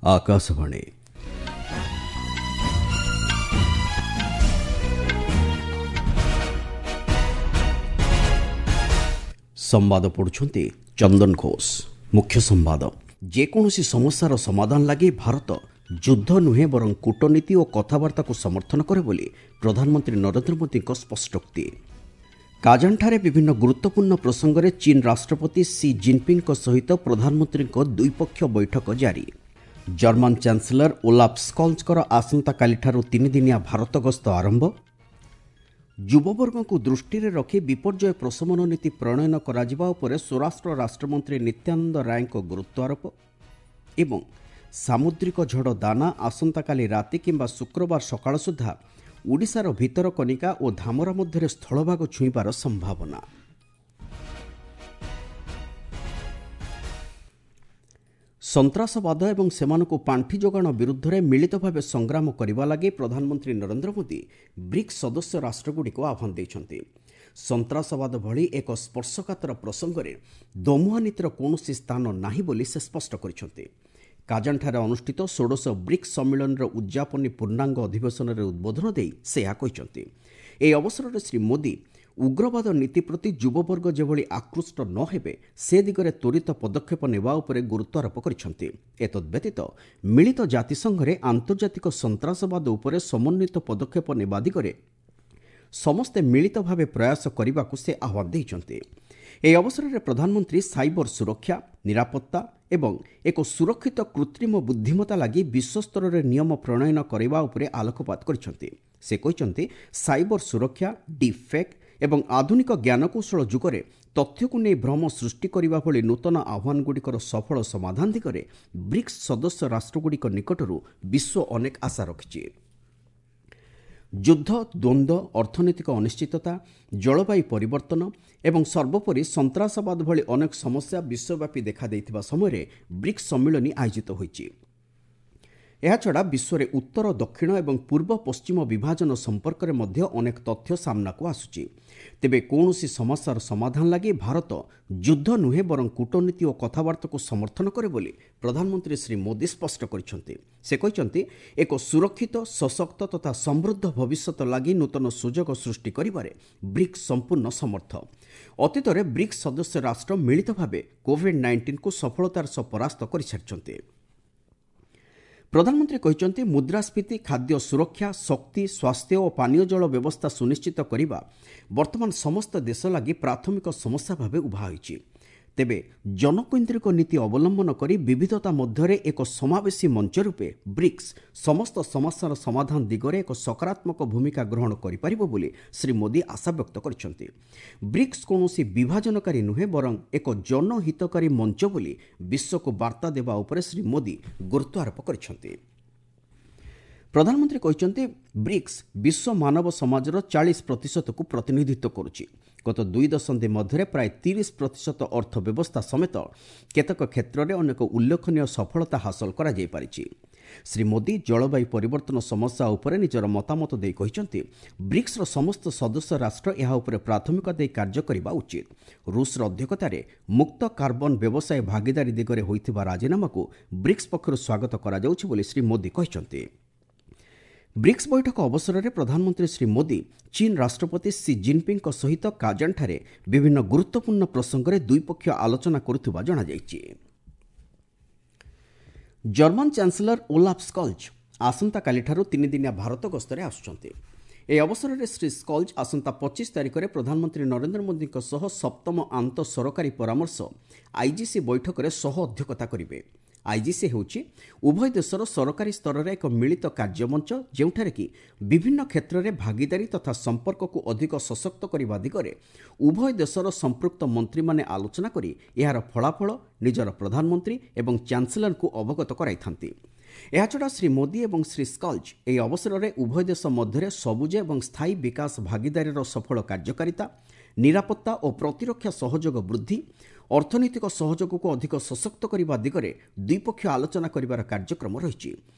ଆକାଶବାଣୀ। ସମ୍ବାଦ ପଢୁଛନ୍ତି ଚନ୍ଦନ ଘୋଷ। ମୁଖ୍ୟ ସମ୍ବାଦ। ଯେକୌଣସି ସମସ୍ୟାର ସମାଧାନ ଲାଗି ଭାରତ ଯୁଦ୍ଧ ନୁହେଁ ବରଂ କୂଟନୀତି ଓ କଥାବାର୍ତ୍ତାକୁ ସମର୍ଥନ କରେ ବୋଲି ପ୍ରଧାନମନ୍ତ୍ରୀ ନରେନ୍ଦ୍ର ମୋଦିଙ୍କ ସ୍ପଷ୍ଟୋକ୍ତି। କାଜାନଠାରେ ବିଭିନ୍ନ ଗୁରୁତ୍ୱପୂର୍ଣ୍ଣ ପ୍ରସଙ୍ଗରେ ଚୀନ୍ ରାଷ୍ଟ୍ରପତି ସି ଜିନ୍ପିଙ୍ଗଙ୍କ ସହିତ ପ୍ରଧାନମନ୍ତ୍ରୀଙ୍କ ଦ୍ୱିପକ୍ଷୀୟ ବୈଠକ ଜାରି। ଜର୍ମାନ ଚାନ୍ସେଲର ଓଲାଫ୍ ସ୍କଲ୍ସଙ୍କର ଆସନ୍ତାକାଲିଠାରୁ ତିନିଦିନିଆ ଭାରତ ଗସ୍ତ ଆରମ୍ଭ। ଯୁବବର୍ଗଙ୍କୁ ଦୃଷ୍ଟିରେ ରଖି ବିପର୍ଯ୍ୟୟ ପ୍ରଶମନ ନୀତି ପ୍ରଣୟନ କରାଯିବା ଉପରେ ସ୍ୱରାଷ୍ଟ୍ର ରାଷ୍ଟ୍ରମନ୍ତ୍ରୀ ନିତ୍ୟାନନ୍ଦ ରାୟଙ୍କ ଗୁରୁତ୍ୱାରୋପ। ଏବଂ ସାମୁଦ୍ରିକ ଝଡ଼ ଦାନା ଆସନ୍ତାକାଲି ରାତି କିମ୍ବା ଶୁକ୍ରବାର ସକାଳ ସୁଦ୍ଧା ଓଡ଼ିଶାର ଭିତରକନିକା ଓ ଧାମରା ମଧ୍ୟରେ ସ୍ଥଳଭାଗ ଛୁଇଁବାର ସମ୍ଭାବନା। ସନ୍ତ୍ରାସବାଦ ଏବଂ ସେମାନଙ୍କୁ ପାଣ୍ଠି ଯୋଗାଣ ବିରୁଦ୍ଧରେ ମିଳିତ ଭାବେ ସଂଗ୍ରାମ କରିବା ଲାଗି ପ୍ରଧାନମନ୍ତ୍ରୀ ନରେନ୍ଦ୍ର ମୋଦି ବ୍ରିକ୍ସ ସଦସ୍ୟ ରାଷ୍ଟ୍ରଗୁଡ଼ିକୁ ଆହ୍ୱାନ ଦେଇଛନ୍ତି। ସନ୍ତ୍ରାସବାଦ ଭଳି ଏକ ସ୍ପର୍ଶକାତର ପ୍ରସଙ୍ଗରେ ଦୋମୁହାଁ ନୀତିର କୌଣସି ସ୍ଥାନ ନାହିଁ ବୋଲି ସେ ସ୍ପଷ୍ଟ କରିଛନ୍ତି। କାଜାନଠାରେ ଅନୁଷ୍ଠିତ ଷୋଡ଼ଶ ବ୍ରିକ୍ସ ସମ୍ମିଳନୀର ଉଦ୍ଯାପନୀ ପୂର୍ଣ୍ଣାଙ୍ଗ ଅଧିବେଶନରେ ଉଦ୍ବୋଧନ ଦେଇ ସେ ଏହା କହିଛନ୍ତି। ଏହି ଅବସରରେ ଶ୍ରୀ ମୋଦି ଉଗ୍ରବାଦ ନୀତି ପ୍ରତି ଯୁବବର୍ଗ ଯେଭଳି ଆକୃଷ୍ଟ ନ ହେବେ ସେ ଦିଗରେ ତ୍ୱରିତ ପଦକ୍ଷେପ ନେବା ଉପରେ ଗୁରୁତ୍ୱାରୋପ କରିଛନ୍ତି। ଏତଦ୍ବ୍ୟତୀତ ମିଳିତ ଜାତିସଂଘରେ ଆନ୍ତର୍ଜାତିକ ସନ୍ତ୍ରାସବାଦ ଉପରେ ସମନ୍ୱିତ ପଦକ୍ଷେପ ନେବା ଦିଗରେ ସମସ୍ତେ ମିଳିତ ଭାବେ ପ୍ରୟାସ କରିବାକୁ ସେ ଆହ୍ୱାନ ଦେଇଛନ୍ତି। ଏହି ଅବସରରେ ପ୍ରଧାନମନ୍ତ୍ରୀ ସାଇବର ସୁରକ୍ଷା, ନିରାପତ୍ତା ଏବଂ ଏକ ସୁରକ୍ଷିତ କୃତ୍ରିମ ବୁଦ୍ଧିମତ୍ତା ଲାଗି ବିଶ୍ୱସ୍ତରରେ ନିୟମ ପ୍ରଣୟନ କରିବା ଉପରେ ଆଲୋକପାତ କରିଛନ୍ତି। ସେ କହିଛନ୍ତି, ସାଇବର ସୁରକ୍ଷା, ଡିପ୍ ଫେକ୍ ଏବଂ ଆଧୁନିକ ଜ୍ଞାନକୌଶଳ ଯୁଗରେ ତଥ୍ୟକୁ ନେଇ ଭ୍ରମ ସୃଷ୍ଟି କରିବା ଭଳି ନୂତନ ଆହ୍ୱାନଗୁଡ଼ିକର ସଫଳ ସମାଧାନ ଦିଗରେ ବ୍ରିକ୍ସ ସଦସ୍ୟ ରାଷ୍ଟ୍ରଗୁଡ଼ିକ ନିକଟରୁ ବିଶ୍ୱ ଅନେକ ଆଶା ରଖିଛି। ଯୁଦ୍ଧ, ଦ୍ୱନ୍ଦ୍ୱ, ଅର୍ଥନୈତିକ ଅନିଶ୍ଚିତତା, ଜଳବାୟୁ ପରିବର୍ତ୍ତନ ଏବଂ ସର୍ବୋପରି ସନ୍ତ୍ରାସବାଦ ଭଳି ଅନେକ ସମସ୍ୟା ବିଶ୍ୱବ୍ୟାପୀ ଦେଖାଦେଇଥିବା ସମୟରେ ବ୍ରିକ୍ସ ସମ୍ମିଳନୀ ଆୟୋଜିତ ହୋଇଛି। ଏହାଛଡ଼ା ବିଶ୍ୱରେ ଉତ୍ତର ଦକ୍ଷିଣ ଏବଂ ପୂର୍ବ ପଶ୍ଚିମ ବିଭାଜନ ସମ୍ପର୍କରେ ମଧ୍ୟ ଅନେକ ତଥ୍ୟ ସାମ୍ନାକୁ ଆସୁଛି। ତେବେ କୌଣସି ସମସ୍ୟାର ସମାଧାନ ଲାଗି ଭାରତ ଯୁଦ୍ଧ ନୁହେଁ ବରଂ କୂଟନୀତି ଓ କଥାବାର୍ତ୍ତାକୁ ସମର୍ଥନ କରେ ବୋଲି ପ୍ରଧାନମନ୍ତ୍ରୀ ଶ୍ରୀ ମୋଦି ସ୍ପଷ୍ଟ କରିଛନ୍ତି। ସେ କହିଛନ୍ତି, ଏକ ସୁରକ୍ଷିତ, ସଶକ୍ତ ତଥା ସମୃଦ୍ଧ ଭବିଷ୍ୟତ ଲାଗି ନୂତନ ସୁଯୋଗ ସୃଷ୍ଟି କରିବାରେ ବ୍ରିକ୍ସ ସମ୍ପୂର୍ଣ୍ଣ ସମର୍ଥ। ଅତୀତରେ ବ୍ରିକ୍ସ ସଦସ୍ୟ ରାଷ୍ଟ୍ର ମିଳିତ ଭାବେ କୋଭିଡ୍-19କୁ ସଫଳତାର ସହ ପରାସ୍ତ କରିସାରିଛନ୍ତି। ପ୍ରଧାନମନ୍ତ୍ରୀ କହିଛନ୍ତି, ମୁଦ୍ରାସ୍ଫୀତି, ଖାଦ୍ୟ ସୁରକ୍ଷା, ଶକ୍ତି, ସ୍ୱାସ୍ଥ୍ୟ ଓ ପାନୀୟ ଜଳ ବ୍ୟବସ୍ଥା ସୁନିଶ୍ଚିତ କରିବା ବର୍ତ୍ତମାନ ସମସ୍ତ ଦେଶ ଲାଗି ପ୍ରାଥମିକ ସମସ୍ୟା ଭାବେ ଉଭା ହୋଇଛି। ତେବେ ଜନକୈନ୍ଦ୍ରିକ ନୀତି ଅବଲମ୍ବନ କରି ବିବିଧତା ମଧ୍ୟରେ ଏକ ସମାବେଶୀ ମଞ୍ଚ ରୂପେ ବ୍ରିକ୍ସ ସମସ୍ତ ସମସ୍ୟାର ସମାଧାନ ଦିଗରେ ଏକ ସକାରାତ୍ମକ ଭୂମିକା ଗ୍ରହଣ କରିପାରିବ ବୋଲି ଶ୍ରୀ ମୋଦି ଆଶାବ୍ୟକ୍ତ କରିଛନ୍ତି। ବ୍ରିକ୍ସ କୌଣସି ବିଭାଜନକାରୀ ନୁହେଁ ବରଂ ଏକ ଜନହିତକାରୀ ମଞ୍ଚ ବୋଲି ବିଶ୍ୱକୁ ବାର୍ତ୍ତା ଦେବା ଉପରେ ଶ୍ରୀ ମୋଦି ଗୁରୁତ୍ୱାରୋପ କରିଛନ୍ତି। ପ୍ରଧାନମନ୍ତ୍ରୀ କହିଛନ୍ତି, ବ୍ରିକ୍ସ ବିଶ୍ୱ ମାନବ ସମାଜର 40%କୁ ପ୍ରତିନିଧିତ୍ୱ କରୁଛି। ଗତ 2 ଦଶନ୍ଧି ମଧ୍ୟରେ ପ୍ରାୟ 30% ଅର୍ଥ ବ୍ୟବସ୍ଥା ସମେତ କେତେକ କ୍ଷେତ୍ରରେ ଅନେକ ଉଲ୍ଲେଖନୀୟ ସଫଳତା ହାସଲ କରାଯାଇପାରିଛି। ଶ୍ରୀ ମୋଦି ଜଳବାୟୁ ପରିବର୍ତ୍ତନ ସମସ୍ୟା ଉପରେ ନିଜର ମତାମତ ଦେଇ କହିଛନ୍ତି, ବ୍ରିକ୍ସର ସମସ୍ତ ସଦସ୍ୟ ରାଷ୍ଟ୍ର ଏହା ଉପରେ ପ୍ରାଥମିକତା ଦେଇ କାର୍ଯ୍ୟ କରିବା ଉଚିତ। ରୁଷର ଅଧ୍ୟକ୍ଷତାରେ ମୁକ୍ତ କାର୍ବନ ବ୍ୟବସାୟ ଭାଗିଦାରୀ ଦିଗରେ ହୋଇଥିବା ରାଜିନାମାକୁ ବ୍ରିକ୍ସ ପକ୍ଷରୁ ସ୍ୱାଗତ କରାଯାଉଛି ବୋଲି ଶ୍ରୀ ମୋଦି କହିଛନ୍ତି। ବ୍ରିକ୍ସ ବୈଠକ ଅବସରରେ ପ୍ରଧାନମନ୍ତ୍ରୀ ଶ୍ରୀ ମୋଦି ଚୀନ୍ ରାଷ୍ଟ୍ରପତି ସି ଜିନ୍ପିଙ୍ଗଙ୍କ ସହିତ କାଜାନଠାରେ ବିଭିନ୍ନ ଗୁରୁତ୍ୱପୂର୍ଣ୍ଣ ପ୍ରସଙ୍ଗରେ ଦ୍ୱିପକ୍ଷୀୟ ଆଲୋଚନା କରୁଥିବା ଜଣାଯାଇଛି। ଜର୍ମାନ ଚାନ୍ସେଲର ଓଲାଫ୍ ସ୍କଲ୍ଜ ଆସନ୍ତାକାଲିଠାରୁ ତିନିଦିନିଆ ଭାରତ ଗସ୍ତରେ ଆସୁଛନ୍ତି। ଏହି ଅବସରରେ ଶ୍ରୀ ସ୍କଲ୍ଜ ଆସନ୍ତା 25 ତାରିଖରେ ପ୍ରଧାନମନ୍ତ୍ରୀ ନରେନ୍ଦ୍ର ମୋଦିଙ୍କ ସହ ସପ୍ତମ ଆନ୍ତଃ ସରକାରୀ ପରାମର୍ଶ ଆଇଜିସି ବୈଠକରେ ସହ ଅଧ୍ୟକ୍ଷତା କରିବେ। ଆଇଜିସି ହେଉଛି ଉଭୟ ଦେଶର ସରକାରୀ ସ୍ତରରେ ଏକ ମିଳିତ କାର୍ଯ୍ୟମଞ୍ଚ, ଯେଉଁଠାରେ କି ବିଭିନ୍ନ କ୍ଷେତ୍ରରେ ଭାଗିଦାରୀ ତଥା ସମ୍ପର୍କକୁ ଅଧିକ ସଶକ୍ତ କରିବା ଦିଗରେ ଉଭୟ ଦେଶର ସମ୍ପୃକ୍ତ ମନ୍ତ୍ରୀମାନେ ଆଲୋଚନା କରି ଏହାର ଫଳାଫଳ ନିଜର ପ୍ରଧାନମନ୍ତ୍ରୀ ଏବଂ ଚାନ୍ସେଲରଙ୍କୁ ଅବଗତ କରାଇଥାନ୍ତି। ଏହାଛଡ଼ା ଶ୍ରୀ ମୋଦି ଏବଂ ଶ୍ରୀ ସ୍କଲ୍ଜ ଏହି ଅବସରରେ ଉଭୟ ଦେଶ ମଧ୍ୟରେ ସବୁଜ ଏବଂ ସ୍ଥାୟୀ ବିକାଶ ଭାଗିଦାରୀର ସଫଳ କାର୍ଯ୍ୟକାରିତା, ନିରାପତ୍ତା ଓ ପ୍ରତିରକ୍ଷା ସହଯୋଗ ବୃଦ୍ଧି, ଅର୍ଥନୈତିକ ସହଯୋଗକୁ ଅଧିକ ସଶକ୍ତ କରିବା ଦିଗରେ ଦ୍ୱିପକ୍ଷୀୟ ଆଲୋଚନା କରିବାର କାର୍ଯ୍ୟକ୍ରମ ରହିଛି।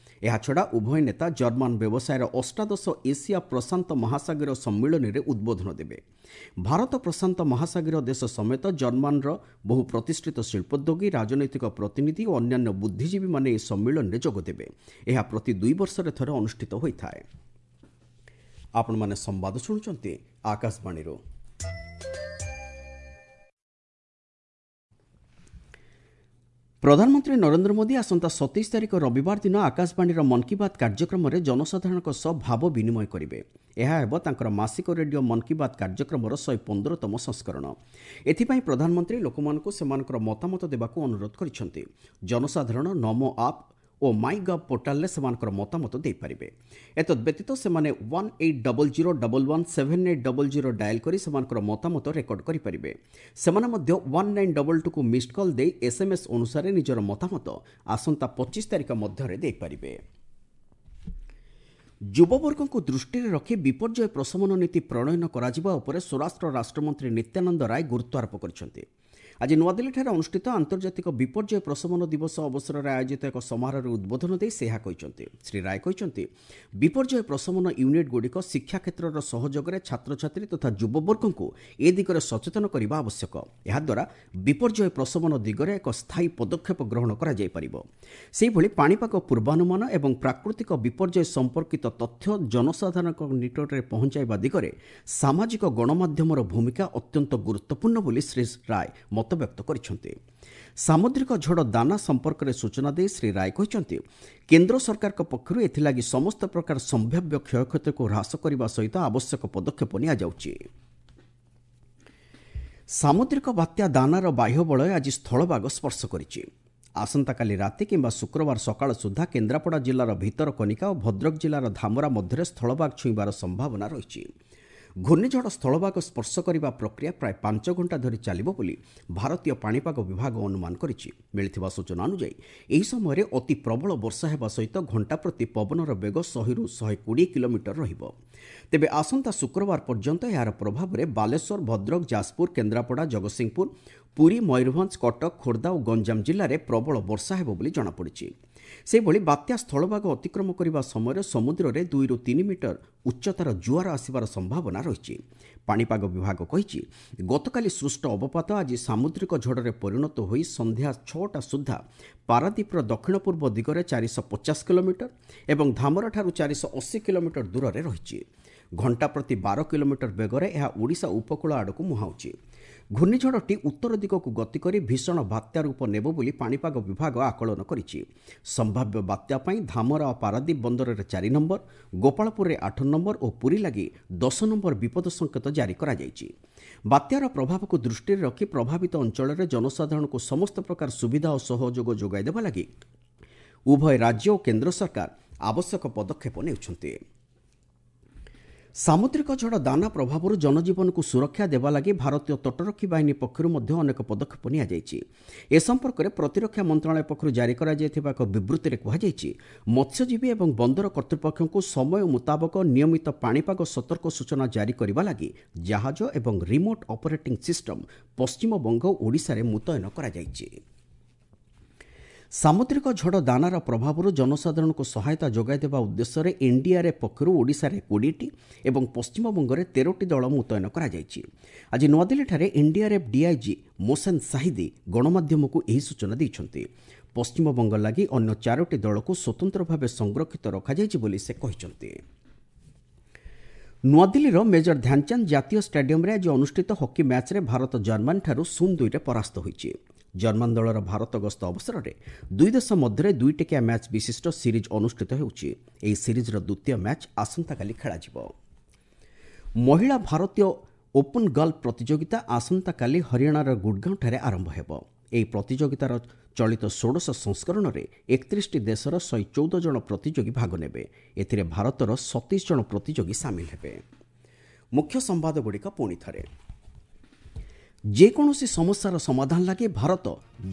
ଏହାଛଡ଼ା ଉଭୟ ନେତା ଜର୍ମାନ ବ୍ୟବସାୟର ଅଷ୍ଟାଦଶ ଏସିଆ ପ୍ରଶାନ୍ତ ମହାସାଗରୀୟ ସମ୍ମିଳନୀରେ ଉଦ୍ବୋଧନ ଦେବେ। ଭାରତ ପ୍ରଶାନ୍ତ ମହାସାଗରୀୟ ଦେଶ ସମେତ ଜର୍ମାନର ବହୁ ପ୍ରତିଷ୍ଠିତ ଶିଳ୍ପୋଦ୍ୟୋଗୀ, ରାଜନୈତିକ ପ୍ରତିନିଧି ଓ ଅନ୍ୟାନ୍ୟ ବୁଦ୍ଧିଜୀବୀମାନେ ଏହି ସମ୍ମିଳନୀରେ ଯୋଗଦେବେ। ଏହା ପ୍ରତି 2 ବର୍ଷରେ ଥରେ ଅନୁଷ୍ଠିତ ହୋଇଥାଏ। ଆପଣମାନେ ସମ୍ବାଦ ଶୁଣୁଛନ୍ତି ଆକାଶବାଣୀରୁ। ପ୍ରଧାନମନ୍ତ୍ରୀ ନରେନ୍ଦ୍ର ମୋଦି ଆସନ୍ତା 27 ତାରିଖ ରବିବାର ଦିନ ଆକାଶବାଣୀର ମନ୍ କି ବାତ୍ କାର୍ଯ୍ୟକ୍ରମରେ ଜନସାଧାରଣଙ୍କ ସହ ଭାବ ବିନିମୟ କରିବେ। ଏହା ହେବ ତାଙ୍କର ମାସିକ ରେଡିଓ ମନ୍ କି ବାତ୍ କାର୍ଯ୍ୟକ୍ରମର 115ତମ ସଂସ୍କରଣ। ଏଥିପାଇଁ ପ୍ରଧାନମନ୍ତ୍ରୀ ଲୋକମାନଙ୍କୁ ସେମାନଙ୍କର ମତାମତ ଦେବାକୁ ଅନୁରୋଧ କରିଛନ୍ତି। ଜନସାଧାରଣ ନମୋ ଆପ୍ ଓ ମାଇ ଗଭ୍ ପୋର୍ଟାଲରେ ସେମାନଙ୍କର ମତାମତ ଦେଇପାରିବେ। ଏତଦ୍ବ୍ୟତୀତ ସେମାନେ 1800117800 ଡାଏଲ୍ କରି ସେମାନଙ୍କର ମତାମତ ରେକର୍ଡ କରିପାରିବେ। ସେମାନେ ମଧ୍ୟ 1922କୁ ମିସ୍ଡ କଲ୍ ଦେଇ ଏସ୍ଏମ୍ଏସ୍ ଅନୁସାରେ ନିଜର ମତାମତ ଆସନ୍ତା 25 ତାରିଖ ମଧ୍ୟରେ ଦେଇପାରିବେ। ଯୁବବର୍ଗଙ୍କୁ ଦୃଷ୍ଟିରେ ରଖି ବିପର୍ଯ୍ୟୟ ପ୍ରଶମନ ନୀତି ପ୍ରଣୟନ କରାଯିବା ଉପରେ ସ୍ୱରାଷ୍ଟ୍ର ରାଷ୍ଟ୍ରମନ୍ତ୍ରୀ ନିତ୍ୟାନନ୍ଦ ରାୟ ଗୁରୁତ୍ୱାରୋପ କରିଛନ୍ତି। ଆଜି ନୂଆଦିଲ୍ଲୀଠାରେ ଅନୁଷ୍ଠିତ ଆନ୍ତର୍ଜାତିକ ବିପର୍ଯ୍ୟୟ ପ୍ରଶମନ ଦିବସ ଅବସରରେ ଆୟୋଜିତ ଏକ ସମାରୋହରେ ଉଦ୍ବୋଧନ ଦେଇ ସେ ଏହା କହିଛନ୍ତି। ଶ୍ରୀ ରାୟ କହିଛନ୍ତି, ବିପର୍ଯ୍ୟୟ ପ୍ରଶମନ ୟୁନିଟ୍ଗୁଡ଼ିକ ଶିକ୍ଷା କ୍ଷେତ୍ରର ସହଯୋଗରେ ଛାତ୍ରଛାତ୍ରୀ ତଥା ଯୁବବର୍ଗଙ୍କୁ ଏ ଦିଗରେ ସଚେତନ କରିବା ଆବଶ୍ୟକ। ଏହାଦ୍ୱାରା ବିପର୍ଯ୍ୟୟ ପ୍ରଶମନ ଦିଗରେ ଏକ ସ୍ଥାୟୀ ପଦକ୍ଷେପ ଗ୍ରହଣ କରାଯାଇପାରିବ। ସେହିଭଳି ପାଣିପାଗ ପୂର୍ବାନୁମାନ ଏବଂ ପ୍ରାକୃତିକ ବିପର୍ଯ୍ୟୟ ସମ୍ପର୍କିତ ତଥ୍ୟ ଜନସାଧାରଣଙ୍କ ନିକଟରେ ପହଞ୍ଚାଇବା ଦିଗରେ ସାମାଜିକ ଗଣମାଧ୍ୟମର ଭୂମିକା ଅତ୍ୟନ୍ତ ଗୁରୁତ୍ୱପୂର୍ଣ୍ଣ ବୋଲି ଶ୍ରୀ ରାୟ ମତବ୍ୟକ୍ତ କରିଛନ୍ତି। ସାମୁଦ୍ରିକ ଝଡ଼ ଦାନା ସମ୍ପର୍କରେ ସୂଚନା ଦେଇ ଶ୍ରୀ ରାୟ କହିଛନ୍ତି, କେନ୍ଦ୍ର ସରକାରଙ୍କ ପକ୍ଷରୁ ଏଥିଲାଗି ସମସ୍ତ ପ୍ରକାର ସମ୍ଭାବ୍ୟ କ୍ଷୟକ୍ଷତିକୁ ହ୍ରାସ କରିବା ସହିତ ଆବଶ୍ୟକ ପଦକ୍ଷେପ ନିଆଯାଉଛି। ସାମୁଦ୍ରିକ ବାତ୍ୟା ଦାନାର ବାହ୍ୟ ବଳୟ ଆଜି ସ୍ଥଳଭାଗ ସ୍ପର୍ଶ କରିଛି। ଆସନ୍ତାକାଲି ରାତି କିମ୍ବା ଶୁକ୍ରବାର ସକାଳ ସୁଦ୍ଧା କେନ୍ଦ୍ରାପଡ଼ା ଜିଲ୍ଲାର ଭିତରକନିକା ଓ ଭଦ୍ରକ ଜିଲ୍ଲାର ଧାମରା ମଧ୍ୟରେ ସ୍ଥଳଭାଗ ଛୁଇଁବାର ସମ୍ଭାବନା ରହିଛି। ଘୂର୍ଣ୍ଣିଝଡ଼ ସ୍ଥଳଭାଗ ସ୍ପର୍ଶ କରିବା ପ୍ରକ୍ରିୟା ପ୍ରାୟ 5 ଘଣ୍ଟା ଧରି ଚାଲିବ ବୋଲି ଭାରତୀୟ ପାଣିପାଗ ବିଭାଗ ଅନୁମାନ କରିଛି। ମିଳିଥିବା ସୂଚନା ଅନୁଯାୟୀ ଏହି ସମୟରେ ଅତି ପ୍ରବଳ ବର୍ଷା ହେବା ସହିତ ଘଣ୍ଟା ପ୍ରତି ପବନର ବେଗ 100ରୁ 120 କିଲୋମିଟର ରହିବ। ତେବେ ଆସନ୍ତା ଶୁକ୍ରବାର ପର୍ଯ୍ୟନ୍ତ ଏହାର ପ୍ରଭାବରେ ବାଲେଶ୍ୱର, ଭଦ୍ରକ, ଯାଜପୁର, କେନ୍ଦ୍ରାପଡ଼ା, ଜଗତସିଂହପୁର, ପୁରୀ, ମୟୂରଭଞ୍ଜ, କଟକ, ଖୋର୍ଦ୍ଧା ଓ ଗଞ୍ଜାମ ଜିଲ୍ଲାରେ ପ୍ରବଳ ବର୍ଷା ହେବ ବୋଲି ଜଣାପଡ଼ିଛି। ସେହିଭଳି ବାତ୍ୟା ସ୍ଥଳଭାଗ ଅତିକ୍ରମ କରିବା ସମୟରେ ସମୁଦ୍ରରେ 2ରୁ 3 ମିଟର ଉଚ୍ଚତାର ଜୁଆର ଆସିବାର ସମ୍ଭାବନା ରହିଛି। ପାଣିପାଗ ବିଭାଗ କହିଛି, ଗତକାଲି ସୃଷ୍ଟ ଅବପାତ ଆଜି ସାମୁଦ୍ରିକ ଝଡ଼ରେ ପରିଣତ ହୋଇ ସନ୍ଧ୍ୟା 6ଟା ସୁଦ୍ଧା ପାରାଦୀପର ଦକ୍ଷିଣ ପୂର୍ବ ଦିଗରେ 450 କିଲୋମିଟର ଏବଂ ଧାମରାଠାରୁ 480 କିଲୋମିଟର ଦୂରରେ ରହିଛି। ଘଣ୍ଟା ପ୍ରତି 12 କିଲୋମିଟର ବେଗରେ ଏହା ଓଡ଼ିଶା ଉପକୂଳ ଆଡ଼କୁ ମୁହାଁଉଛି। ଘୂର୍ଣ୍ଣିଝଡ଼ଟି ଉତ୍ତର ଦିଗକୁ ଗତି କରି ଭୀଷଣ ବାତ୍ୟା ରୂପ ନେବ ବୋଲି ପାଣିପାଗ ବିଭାଗ ଆକଳନ କରିଛି। ସମ୍ଭାବ୍ୟ ବାତ୍ୟା ପାଇଁ ଧାମରା ଓ ପାରାଦୀପ ବନ୍ଦରରେ 4 ନମ୍ବର, ଗୋପାଳପୁରରେ 8 ନମ୍ବର ଓ ପୁରୀ ଲାଗି 10 ନମ୍ବର ବିପଦ ସଂକେତ ଜାରି କରାଯାଇଛି। ବାତ୍ୟାର ପ୍ରଭାବକୁ ଦୃଷ୍ଟିରେ ରଖି ପ୍ରଭାବିତ ଅଞ୍ଚଳରେ ଜନସାଧାରଣଙ୍କୁ ସମସ୍ତ ପ୍ରକାର ସୁବିଧା ଓ ସହଯୋଗ ଯୋଗାଇ ଦେବା ଲାଗି ଉଭୟ ରାଜ୍ୟ ଓ କେନ୍ଦ୍ର ସରକାର ଆବଶ୍ୟକ ପଦକ୍ଷେପ ନେଉଛନ୍ତି। ସାମୁଦ୍ରିକ ଝଡ଼ ଦାନା ପ୍ରଭାବରୁ ଜନଜୀବନକୁ ସୁରକ୍ଷା ଦେବା ଲାଗି ଭାରତୀୟ ତଟରକ୍ଷୀ ବାହିନୀ ପକ୍ଷରୁ ମଧ୍ୟ ଅନେକ ପଦକ୍ଷେପ ନିଆଯାଇଛି। ଏ ସମ୍ପର୍କରେ ପ୍ରତିରକ୍ଷା ମନ୍ତ୍ରଣାଳୟ ପକ୍ଷରୁ ଜାରି କରାଯାଇଥିବା ଏକ ବିବୃତ୍ତିରେ କୁହାଯାଇଛି, ମତ୍ସ୍ୟଜୀବୀ ଏବଂ ବନ୍ଦର କର୍ତ୍ତୃପକ୍ଷଙ୍କୁ ସମୟ ମୁତାବକ ନିୟମିତ ପାଣିପାଗ ସତର୍କ ସୂଚନା ଜାରି କରିବା ଲାଗି ଜାହାଜ ଏବଂ ରିମୋଟ୍ ଅପରେଟିଂ ସିଷ୍ଟମ୍ ପଶ୍ଚିମବଙ୍ଗ ଓ ଓଡ଼ିଶାରେ ମୁତୟନ କରାଯାଇଛି। ସାମୁଦ୍ରିକ ଝଡ଼ ଦାନାର ପ୍ରଭାବରୁ ଜନସାଧାରଣଙ୍କୁ ସହାୟତା ଯୋଗାଇ ଦେବା ଉଦ୍ଦେଶ୍ୟରେ ଏନ୍ଡିଆର୍ଏଫ୍ ପକ୍ଷରୁ ଓଡ଼ିଶାରେ 20ଟି ଏବଂ ପଶ୍ଚିମବଙ୍ଗରେ 13ଟି ଦଳ ମୁତୟନ କରାଯାଇଛି। ଆଜି ନୂଆଦିଲ୍ଲୀଠାରେ ଏନ୍ଡିଆର୍ଏଫ୍ ଡିଆଇଜି ମୋସେନ୍ ସାହିଦି ଗଣମାଧ୍ୟମକୁ ଏହି ସୂଚନା ଦେଇଛନ୍ତି। ପଶ୍ଚିମବଙ୍ଗ ଲାଗି ଅନ୍ୟ 4ଟି ଦଳକୁ ସ୍ୱତନ୍ତ୍ର ଭାବେ ସଂରକ୍ଷିତ ରଖାଯାଇଛି ବୋଲି ସେ କହିଛନ୍ତି। ନୂଆଦିଲ୍ଲୀର ମେଜର ଧ୍ୟାନଚାନ୍ଦ ଜାତୀୟ ଷ୍ଟାଡିୟମରେ ଆଜି ଅନୁଷ୍ଠିତ ହକି ମ୍ୟାଚ୍ରେ ଭାରତ ଜର୍ମାନୀଠାରୁ 0-2ରେ ପରାସ୍ତ ହୋଇଛି। ଜର୍ମାନ ଦଳର ଭାରତ ଗସ୍ତ ଅବସରରେ ଦୁଇ ଦେଶ ମଧ୍ୟରେ 2ଟିକିଆ ମ୍ୟାଚ୍ ବିଶିଷ୍ଟ ସିରିଜ୍ ଅନୁଷ୍ଠିତ ହେଉଛି। ଏହି ସିରିଜ୍ର ଦ୍ୱିତୀୟ ମ୍ୟାଚ୍ ଆସନ୍ତାକାଲି ଖେଳାଯିବ। ମହିଳା ଭାରତୀୟ ଓପନ୍ ଗଲ୍ଫ ପ୍ରତିଯୋଗିତା ଆସନ୍ତାକାଲି ହରିୟାଣାର ଗୁଡ଼ଗାଁଠାରେ ଆରମ୍ଭ ହେବ। ଏହି ପ୍ରତିଯୋଗିତାର ଚଳିତ 16 ସଂସ୍କରଣରେ 31ଟି ଦେଶର 114 ଜଣ ପ୍ରତିଯୋଗୀ ଭାଗ ନେବେ। ଏଥିରେ ଭାରତର 27 ଜଣ ପ୍ରତିଯୋଗୀ ସାମିଲ ହେବେ। ମୁଖ୍ୟ ସମ୍ବାଦଗୁଡ଼ିକ ପୁଣି ଥରେ। ଯେକୌଣସି ସମସ୍ୟାର ସମାଧାନ ଲାଗି ଭାରତ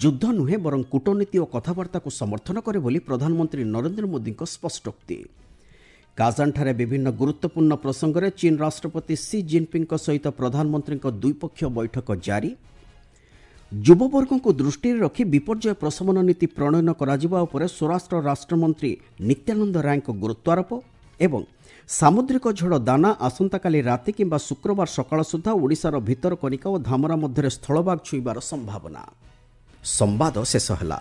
ଯୁଦ୍ଧ ନୁହେଁ ବରଂ କୂଟନୀତି ଓ କଥାବାର୍ତ୍ତାକୁ ସମର୍ଥନ କରେ ବୋଲି ପ୍ରଧାନମନ୍ତ୍ରୀ ନରେନ୍ଦ୍ର ମୋଦିଙ୍କ ସ୍ପଷ୍ଟୋକ୍ତି। କାଜାନଠାରେ ବିଭିନ୍ନ ଗୁରୁତ୍ୱପୂର୍ଣ୍ଣ ପ୍ରସଙ୍ଗରେ ଚୀନ୍ ରାଷ୍ଟ୍ରପତି ସି ଜିନ୍ପିଙ୍ଗଙ୍କ ସହିତ ପ୍ରଧାନମନ୍ତ୍ରୀଙ୍କ ଦ୍ୱିପକ୍ଷୀୟ ବୈଠକ ଜାରି। ଯୁବବର୍ଗଙ୍କୁ ଦୃଷ୍ଟିରେ ରଖି ବିପର୍ଯ୍ୟୟ ପ୍ରଶମନ ନୀତି ପ୍ରଣୟନ କରାଯିବା ଉପରେ ସ୍ୱରାଷ୍ଟ୍ର ରାଷ୍ଟ୍ରମନ୍ତ୍ରୀ ନିତ୍ୟାନନ୍ଦ ରାୟଙ୍କ ଗୁରୁତ୍ୱାରୋପ। ଏବଂ ସାମୁଦ୍ରିକ ଝଡ଼ ଦାନା ଆସନ୍ତାକାଲି ରାତି କିମ୍ବା ଶୁକ୍ରବାର ସକାଳ ସୁଦ୍ଧା ଓଡ଼ିଶାର ଭିତରକନିକା ଓ ଧାମରା ମଧ୍ୟରେ ସ୍ଥଳଭାଗ ଛୁଇଁବାର ସମ୍ଭାବନା। ସମ୍ବାଦ ଶେଷ ହେଲା।